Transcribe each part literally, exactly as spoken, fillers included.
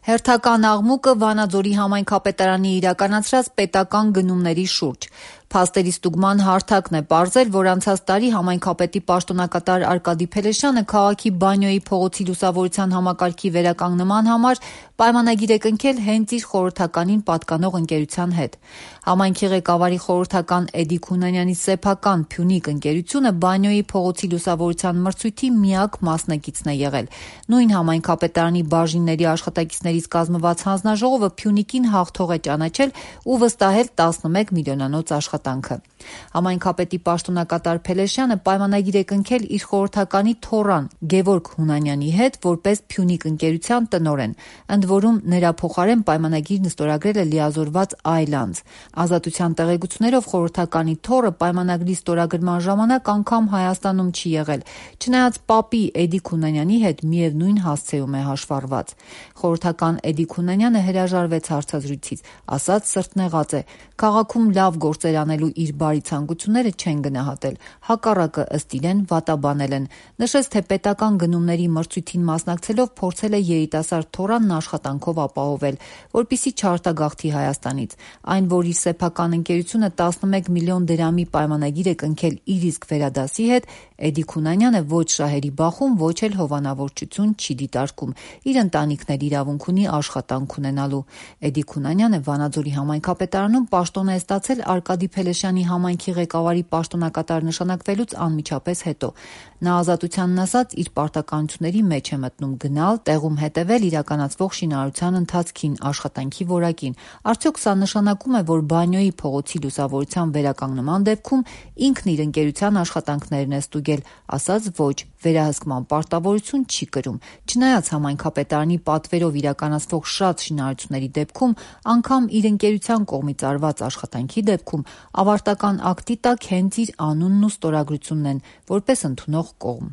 Հերթական աղմուկը Վանաձորի համայնքապետարանի իրականացրած պետական գնումների շուրջ։ Փաստերի ստուգման հարթակն է պարզել, որ անցած տարի համայնքապետի պաշտոնակատար Արկադի Փելեշյանը քաղաքի Բանյոյի փողոցի լուսավորության համակարգի վերականգնման համար պայմանագիր է կնքել հենց իր խորհրդականին պատկանող ընկերության հետ։ Համայնքի ղեկավարի խորհրդական Էդիկ Հունանյանի սեփական Փյունիկ ընկերությունը Բանյոյի փողոցի լուսավորության մրցույթի միակ մասնակիցն է եղել։ Նույն համայնքապետարանի բաժինների աշխատակիցներից կազմված հանձնաժողովը Փյունիկին հաղթող է ճանաչել ու վստահել տասնմեկ միլիոնանոց աշխատանքը։ Համայնքապետի պաշտոնակատար Փելեշյանը պայմանագիր է կնքել իր խորհրդականի թոռան Գևորգ Հունանյանի հետ որպես Փյունիկ ընկերության տնօրեն, ընդ որում նրա փոխարեն պայմանագիրն ստորագրել է լիազորված այլ անձ։ Ազատության տեղեկություններով խորհրդականի թոռը պայմանագրի ստորագրման ժամանակ անգամ Հայաստանում չի եղել, չնայած պապի Էդիկ Հունանյանի հետ միևնույն հասցեում է հաշվառված։ Խորհրդական Էդիկ Հունանյանը հրաժարվեց հարցազրույցից, ասաց սրտնեղած է, քաղաքում լավ գործեր անելու իր բարի ցանկությունները չեն գնահատել, հակառակը ըստ իրեն վատաբանել են։ Նշեց, թե պետական գնումների մրցույթին մասնակցելով փորձել է երիտասարդ թոռանն աշխատանքով ապահովել, որպեսզի չարտագաղթի Հայաստանից։ Այն, որ իր սեփական ընկերությունը տասնմեկ միլիոն դրամի պայմանագիր է կնքել իր իսկ վերադասի հետ, Էդիկ Հունանյանը ոչ շահերի բախում, ոչ էլ հովանավորչություն չի դիտարկում։ Իր ընտանիքն էլ իրավունք ունի աշխատանք ունենալու։ Էդիկ Հունանյանը Վանաձորի համայնքապետարանում պաշտոն է ստացել Արկադի Փելեշյանի համայնքի ղեկավարի պաշտոնակատար նշանակվելուց անմիջապես հետո։ Նա ազատությանն ասած իր պարտականությունների մեջ է մտնում գնալ, տեղում հետևել իրականացվող շինարարության ընթացքին, աշխատանքի որակին։ Արդյոք սա նշանակում է, որ Բանյոյի փողոցի լուսավորության վերականգնման դեպքում ինքն իր ընկերության աշխատանքներն է ստուգել, ասաց ոչ, վերահսկման պարտավորություն չի կրում։ Չնայած համայնքապետարանի պատվերով իրականացվող շատ շինարարությունների դեպքում, անգամ իր ընկերության կողմից արված աշխատանքի դեպքում ավարտական ակտի տակ հենց իր անունն ու ստորագրությունն են, որպես ընդունող կողմ։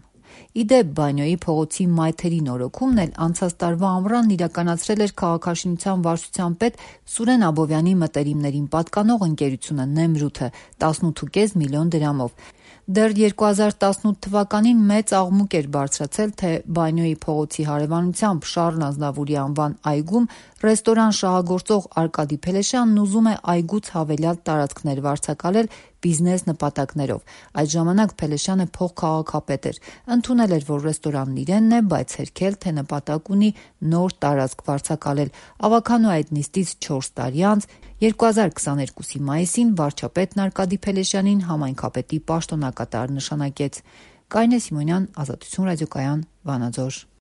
Ի դեպ, Բանյոյի փողոցի մայթերի նորոգումն էլ անցած տարվա ամռանն իրականացրել էր քաղաքաշինության վարչության պետ Սուրեն Աբովյանի մտերիմներին պատկանող ընկերությունը Նեմրութը տասնութ ու կես միլիոն դրամով։ Դեռ երկու հազար տասնութ թվականին մեծ աղմուկ էր բարձրացել, թե Բանյոյի փողոցի հարևանությամբ Շառլ Ազնավուրի անվան այգում ռեստորան շահագործող Արկադի Փելեշյանն ուզում է այգուց հավելյալ տարածքներ վարձակալել բիզնես նպատակներով։ Այդ ժամանակ Փելեշյանը փոխքաղաքապետ էր, ընդունել էր, որ ռեստորանն իրենն է, բայց հերքել, թե նպատակ ունի նոր տարածք վարձակալել։ Ավագանու այդ նիստից չորս տարի անց երկու հազար քսաներկուսի մայիսին վարչապետն Արկադի Փելեշյանին համայնքապետի պաշտոնակատար նշանակեց։ Կարինե Սիմոնյան, Ազատություն ռադիոկայան, Վանաձոր։